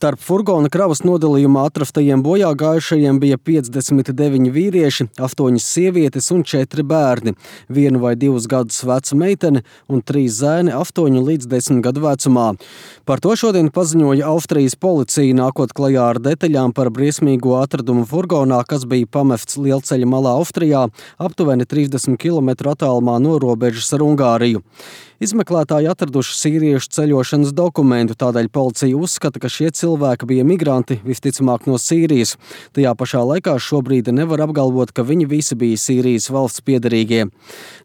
Starp furgona kravas nodalījumā atrastajiem bojāgājušajiem bija 59 vīrieši, 8 sievietes un 4 bērni, 1 vai 2 gadus veca meitene un 3 zēni 8 līdz 10 gadu vecumā. Par to šodien paziņoja Austrijas policija, nākot klajā ar detaļām par briesmīgo atradumu furgonā, kas bija pamests lielceļa malā Austrijā, aptuveni 30 km attālumā no robežas ar Ungāriju. Izmeklētāji atraduši sīriešu ceļošanas dokumentu, tādēļ policija uzskata, ka šie cilvēki bija migranti, visticamāk no Sīrijas. Tajā pašā laikā šobrīd nevar apgalvot, ka viņi visi bija Sīrijas valsts piederīgie.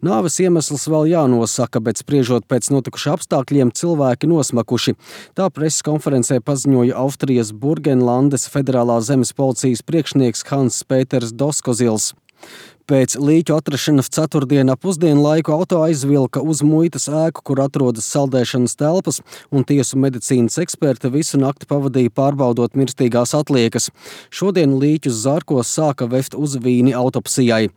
Nāves iemesls vēl jānosaka, bet spriežot pēc notikuša apstākļiem, cilvēki nosmakuši. Tā preses konferencē paziņoja Austrijas Burgenlandes federālā zemes policijas priekšnieks Hans Pēters Doskozils. Pēc līķu atrašanas ceturtdienā pusdienlaiku auto aizvilka uz muitas ēku, kur atrodas saldēšanas telpas, un tiesu medicīnas eksperti visu nakti pavadīja pārbaudot mirstīgās atliekas. Šodien līķus Zārkos sāka vest uz Vīni autopsijai.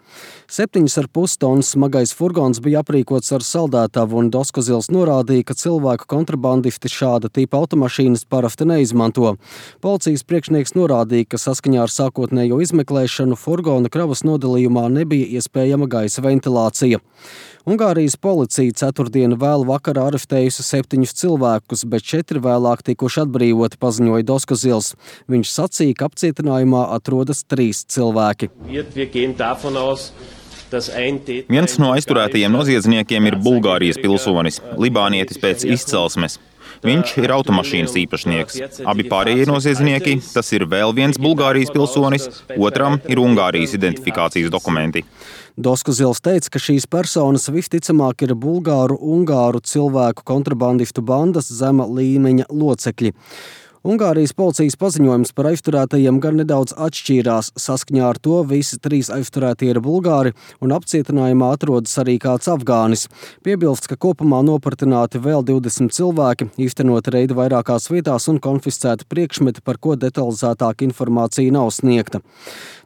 7,5 tonnas smagais furgons bija aprīkots ar saldētavu, un Doskozils norādīja, ka cilvēku kontrabandisti šāda tipa automašīnas parasti neizmanto. Policijas priekšnieks norādīja, ka saskaņā ar sākotnējo izmeklēšanu furgona kravas nodalījumā nebija iespējama gaisa ventilācija. Ungārijas policija ceturtdienu vēlu vakarā arestējusi 7 cilvēkus, bet 4 vēlāk tikuši atbrīvoti, paziņoja Doskozils. Viņš sacīja, ka apcietinājumā atrodas 3 cilvēki. Viens no aizturētajiem noziedzniekiem ir Bulgārijas pilsonis, libānietis pēc izcelsmes. Viņš ir automašīnas īpašnieks. Abi pārējie noziedznieki, tas ir vēl viens Bulgārijas pilsonis, otram ir Ungārijas identifikācijas dokumenti. Doskozils teica, ka šīs personas visticamāk ir Ungāru cilvēku kontrabandistu bandas zema līmeņa locekļi. Ungārijas policijas paziņojums par aizturētajiem gan nedaudz atšķīrās. Saskaņā ar to visi 3 aizturētie ir bulgāri un apcietinājumā atrodas arī kāds afgānis. Piebilsts, ka kopumā nopratināti vēl 20 cilvēki, īstenoti reidi vairākās vietās un konfiscēti priekšmeti, par ko detalizētāka informācija nav sniegta.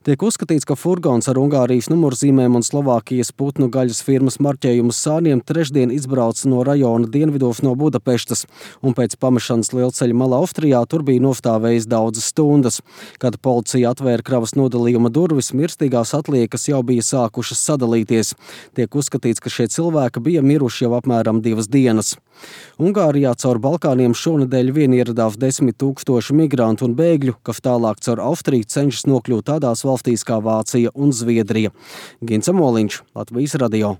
Tiek uzskatīts, ka furgons ar Ungārijas numurzīmēm un Slovākijas putnu gaļas firmas marķējumu sāniem trešdien izbrauca no rajona dienvidos no Budapeštas, un pēc pamešanas lielceļa malā Austrijā tur bija nostāvējis daudzas stundas. Kad policija atvēra kravas nodalījuma durvis, mirstīgās atliekas jau bija sākušas sadalīties. Tiek uzskatīts, ka šie cilvēki bija miruši jau apmēram 2 dienas. Ungārijā caur Balkāniem šonedēļ vien ieradās 10 000 migrantu un bēgļu, kas tālāk caur Austriju cenšas nokļūt tādās valstīs kā Vācija un Zviedrija. Gints Amoliņš, Latvijas radio.